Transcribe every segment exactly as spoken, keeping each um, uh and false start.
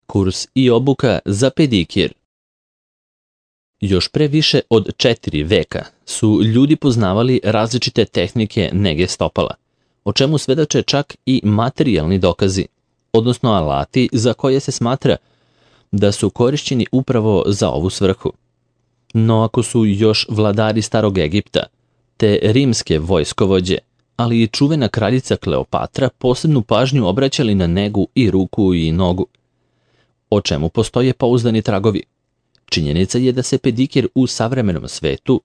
Kurs i obuka za pedikir. Još pre više od četiri veka su ljudi poznavali različite tehnike nege stopala, o čemu svedoče čak i materijalni dokazi, odnosno alati za koje se smatra da su korišćeni upravo za ovu svrhu. No ako su još vladari Starog Egipta, te rimske vojskovođe, ali i čuvena kraljica Kleopatra posebnu pažnju obraćali na negu i ruku i nogu, o čemu postoje pouzdani tragovi. Činjenica je da se pedikir u savremenom svetu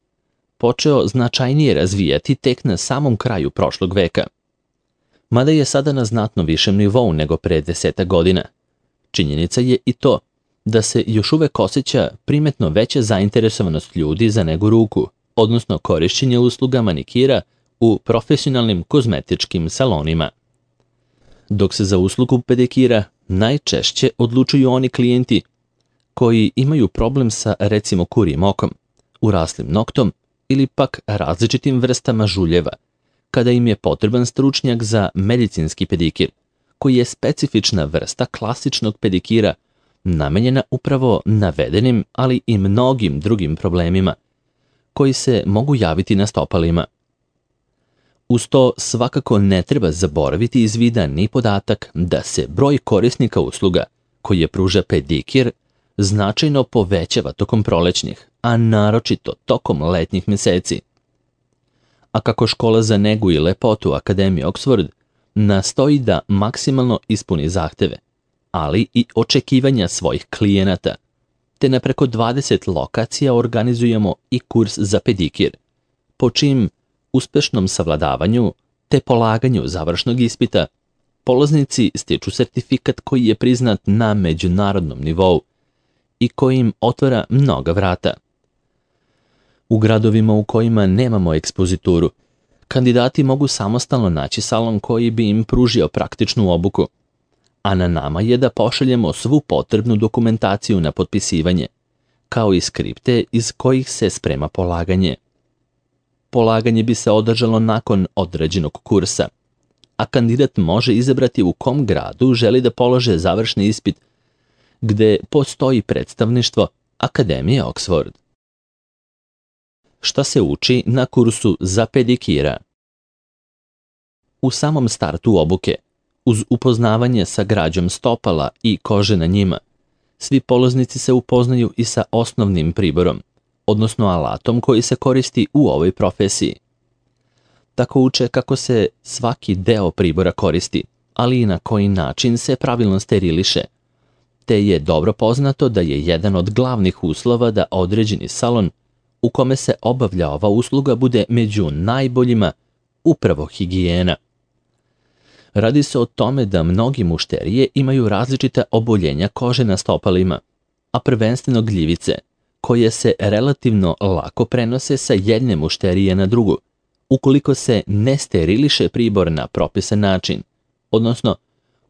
počeo značajnije razvijati tek na samom kraju prošlog veka. Mada je sada na znatno višem nivou nego pre deseta godina. Činjenica je i to da se još uvek osjeća primetno veća zainteresovanost ljudi za negu ruku, odnosno korišćenje usluga manikira u profesionalnim kozmetičkim salonima. Dok se za uslugu pedikira najčešće odlučuju oni klijenti koji imaju problem sa recimo kurijim okom, uraslim noktom ili pak različitim vrstama žuljeva, kada im je potreban stručnjak za medicinski pedikir, koji je specifična vrsta klasičnog pedikira namenjena upravo navedenim, ali i mnogim drugim problemima koji se mogu javiti na stopalima. Uz to svakako ne treba zaboraviti iz vida ni podatak da se broj korisnika usluga koji je pruža pedikir značajno povećava tokom prolećnih, a naročito tokom letnjih meseci. A kako škola za negu i lepotu Akademije Oxford nastoji da maksimalno ispuni zahteve, ali i očekivanja svojih klijenata, te na preko dvadeset lokacija organizujemo i kurs za pedikir, po čim uspešnom savladavanju te polaganju završnog ispita polaznici stiču sertifikat koji je priznat na međunarodnom nivou i koji im otvara mnoga vrata. U gradovima u kojima nemamo ekspozituru, kandidati mogu samostalno naći salon koji bi im pružio praktičnu obuku, a na nama je da pošaljemo svu potrebnu dokumentaciju na potpisivanje, kao i skripte iz kojih se sprema polaganje. Polaganje bi se održalo nakon određenog kursa, a kandidat može izabrati u kom gradu želi da polože završni ispit, gde postoji predstavništvo Akademije Oxford. Šta se uči na kursu za pedikira? U samom startu obuke, uz upoznavanje sa građom stopala i kože na njima, svi polaznici se upoznaju i sa osnovnim priborom, odnosno alatom koji se koristi u ovoj profesiji. Tako uče kako se svaki deo pribora koristi, ali i na koji način se pravilno steriliše, te je dobro poznato da je jedan od glavnih uslova da određeni salon u kome se obavlja ova usluga bude među najboljima upravo higijena. Radi se o tome da mnogi mušterije imaju različita oboljenja kože na stopalima, a prvenstveno gljivice, koje se relativno lako prenose sa jedne mušterije na drugu, ukoliko se ne steriliše pribor na propisan način, odnosno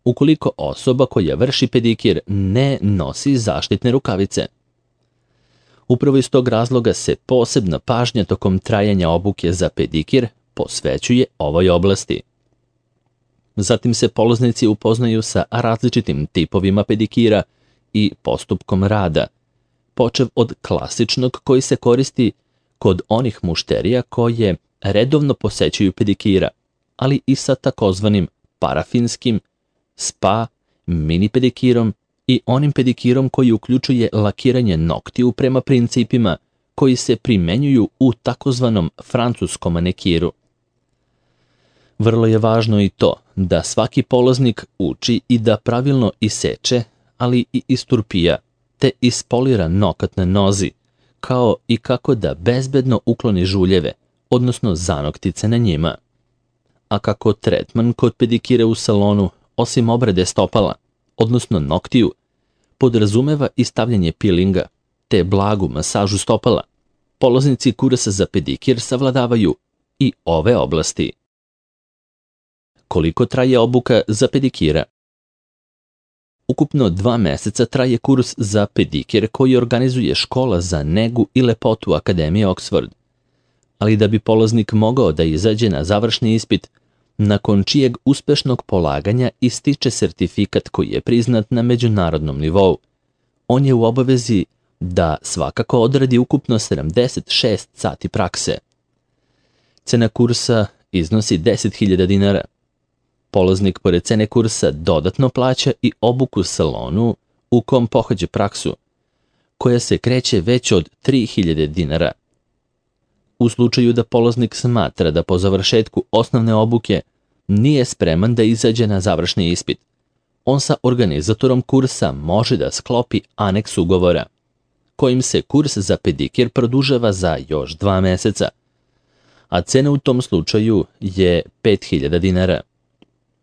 ukoliko osoba koja vrši pedikir ne nosi zaštitne rukavice. Upravo iz tog razloga se posebna pažnja tokom trajanja obuke za pedikir posvećuje ovoj oblasti. Zatim se polaznici upoznaju sa različitim tipovima pedikira i postupkom rada, počev od klasičnog koji se koristi kod onih mušterija koje redovno posećuju pedikira, ali i sa takozvanim parafinskim, spa, mini pedikirom i onim pedikirom koji uključuje lakiranje noktiju prema principima koji se primenjuju u takozvanom francuskom manikiru. Vrlo je važno i to da svaki polaznik uči i da pravilno iseče, ali i isturpija, te ispolira nokat na nozi, kao i kako da bezbedno ukloni žuljeve, odnosno zanoktice na njima. A kako tretman kod pedikira u salonu, osim obrade stopala, odnosno noktiju, podrazumeva i stavljanje pilinga, te blagu masažu stopala, polaznici kursa za pedikir savladavaju i ove oblasti. Koliko traje obuka za pedikira? Ukupno dva meseca traje kurs za pedikir koji organizuje škola za negu i lepotu Akademije Oxford. Ali da bi polaznik mogao da izađe na završni ispit, nakon čijeg uspešnog polaganja ističe sertifikat koji je priznat na međunarodnom nivou. On je u obavezi da svakako odradi ukupno sedamdeset šest sati prakse. Cena kursa iznosi deset hiljada dinara. Polaznik pored cene kursa dodatno plaća i obuku salonu u kom pohađa praksu, koja se kreće već od tri hiljade dinara. U slučaju da polaznik smatra da po završetku osnovne obuke nije spreman da izađe na završni ispit, on sa organizatorom kursa može da sklopi aneks ugovora, kojim se kurs za pedikir produžava za još dva meseca, a cena u tom slučaju je pet hiljada dinara.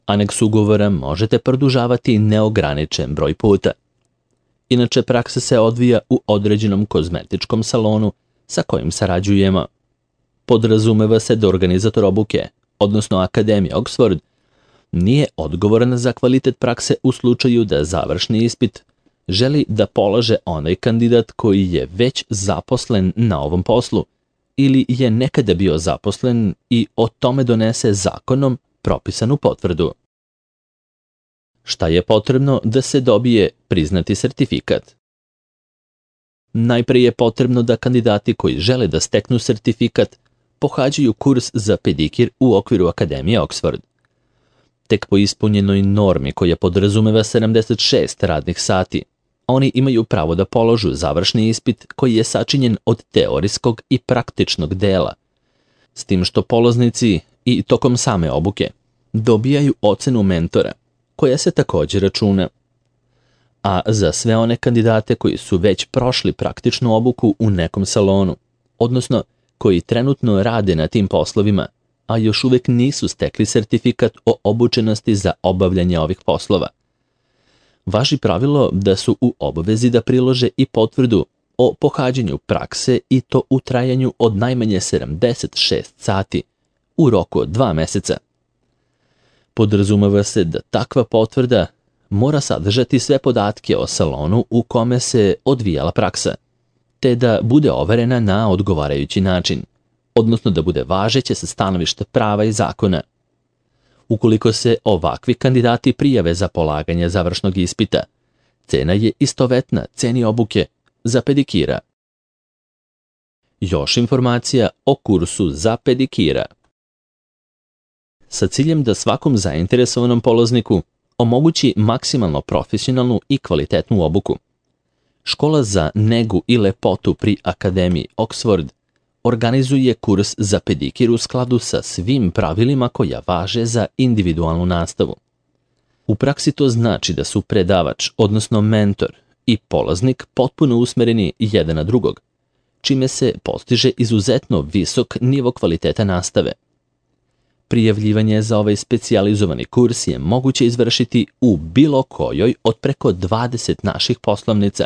Aneks ugovora možete produžavati neograničen broj puta. Inače, praksa se odvija u određenom kozmetičkom salonu sa kojim sarađujemo. Podrazumeva se da organizator obuke, odnosno Akademija Oxford, nije odgovoran za kvalitet prakse u slučaju da završni ispit želi da polaže onaj kandidat koji je već zaposlen na ovom poslu ili je nekada bio zaposlen i o tome donese zakonom propisanu potvrdu. Šta je potrebno da se dobije priznati sertifikat? Najpre je potrebno da kandidati koji žele da steknu sertifikat pohađaju kurs za pedikir u okviru Akademije Oxford. Tek po ispunjenoj normi koja podrazumeva sedamdeset šest radnih sati, oni imaju pravo da položu završni ispit koji je sačinjen od teorijskog i praktičnog dela, s tim što polaznici i tokom same obuke dobijaju ocenu mentora, koja se također računa. A za sve one kandidate koji su već prošli praktičnu obuku u nekom salonu, odnosno koji trenutno rade na tim poslovima, a još uvek nisu stekli sertifikat o obučenosti za obavljanje ovih poslova, važi pravilo da su u obavezi da prilože i potvrdu o pohađanju prakse i to u trajanju od najmanje sedamdeset šest sati u roku od dva meseca. Podrazumeva se da takva potvrda mora sadržati sve podatke o salonu u kome se odvijala praksa, te da bude overena na odgovarajući način, odnosno da bude važeća sa stanovišta prava i zakona. Ukoliko se ovakvi kandidati prijave za polaganje završnog ispita, cena je istovetna ceni obuke za pedikira. Još informacija o kursu za pedikira. Sa ciljem da svakom zainteresovanom polazniku omogući maksimalno profesionalnu i kvalitetnu obuku, Škola za negu i lepotu pri Akademiji Oxford organizuje kurs za pedikir u skladu sa svim pravilima koja važe za individualnu nastavu. U praksi to znači da su predavač, odnosno mentor, i polaznik potpuno usmereni jedan na drugog, čime se postiže izuzetno visok nivo kvaliteta nastave. Prijavljivanje za ovaj specijalizovani kurs je moguće izvršiti u bilo kojoj od preko dvadeset naših poslovnica,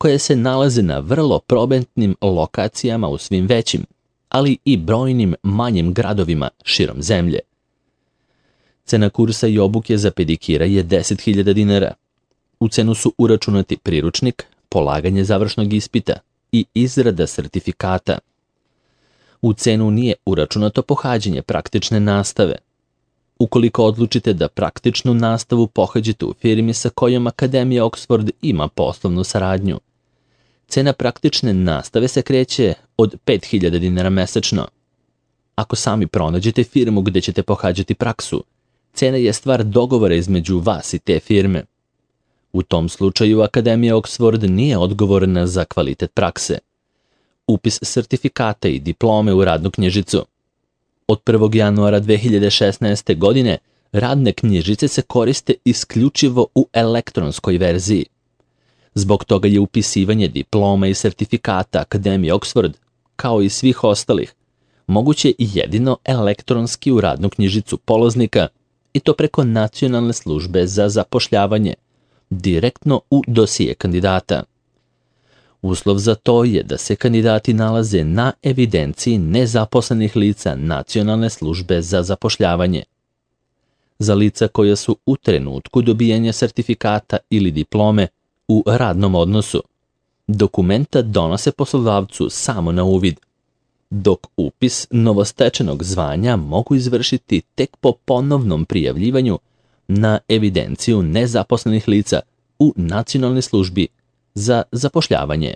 koje se nalaze na vrlo probentnim lokacijama u svim većim, ali i brojnim manjim gradovima širom zemlje. Cena kursa i obuke za pedikira je deset hiljada dinara. U cenu su uračunati priručnik, polaganje završnog ispita i izrada sertifikata. U cenu nije uračunato pohađanje praktične nastave. Ukoliko odlučite da praktičnu nastavu pohađate u firmi sa kojom Akademija Oxford ima poslovnu saradnju, cena praktične nastave se kreće od pet hiljada dinara mesečno. Ako sami pronađete firmu gde ćete pohađati praksu, cena je stvar dogovora između vas i te firme. U tom slučaju Akademija Oxford nije odgovorna za kvalitet prakse. Upis sertifikata i diplome u radnu knjižicu. Od prvog januara dve hiljade šesnaeste. godine radne knjižice se koriste isključivo u elektronskoj verziji. Zbog toga je upisivanje diploma i sertifikata Akademije Oxford, kao i svih ostalih, moguće jedino elektronski u radnu knjižicu polaznika i to preko Nacionalne službe za zapošljavanje, direktno u dosije kandidata. Uslov za to je da se kandidati nalaze na evidenciji nezaposlenih lica Nacionalne službe za zapošljavanje. Za lica koja su u trenutku dobijanja sertifikata ili diplome u radnom odnosu, dokumenta donose poslodavcu samo na uvid. dok upis novostečenog zvanja mogu izvršiti tek po ponovnom prijavljivanju na evidenciju nezaposlenih lica u Nacionalnoj službi za zapošljavanje.